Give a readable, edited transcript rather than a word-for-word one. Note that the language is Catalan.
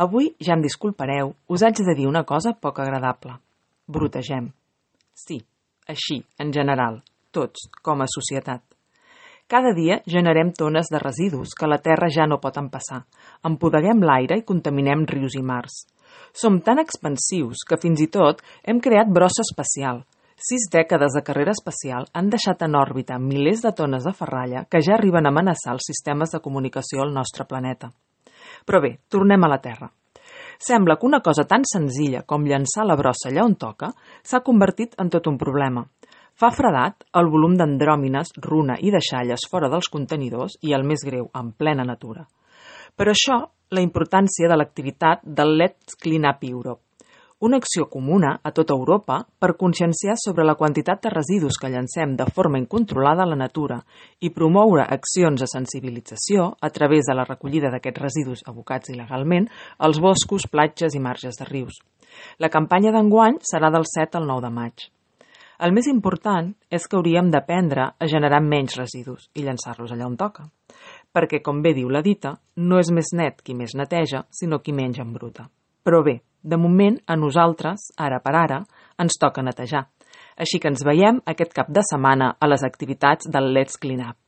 Avui ja em disculpareu, us haig de dir una cosa poc agradable. Brotegem. Sí, així, en general, tots, com a societat. Cada dia generem tones de residus que la Terra ja no pot empassar. Empodeguem l'aire i contaminem rius i mars. Som tan expansius que fins i tot hem creat brossa espacial. 6 dècades de carrera espacial han deixat en òrbita milers de tones de ferralla que ja arriben a amenaçar els sistemes de comunicació al nostre planeta. Però bé, tornem a la Terra. Sembla que una cosa tan senzilla com llançar la brossa allà on toca s'ha convertit en tot un problema. Fa fredat el volum d'andròmines, runa i deixalles fora dels contenidors i, el més greu, en plena natura. Per això, la importància de l'activitat del Let's Clean Up Europe, una acció comuna a tota Europa per conscienciar sobre la quantitat de residus que llancem de forma incontrolada a la natura i promoure accions de sensibilització a través de la recollida d'aquests residus abocats il·legalment als boscos, platges i marges de rius. La campanya d'enguany serà del 7 al 9 de maig. El més important és que hauríem d'aprendre a generar menys residus i llançar-los allà on toca. Perquè, com bé diu la dita, no és més net qui més neteja, sinó qui menys embruta. Però bé, de moment, a nosaltres, ara per ara, ens toca netejar. Així que ens veiem aquest cap de setmana a les activitats del Let's Clean Up.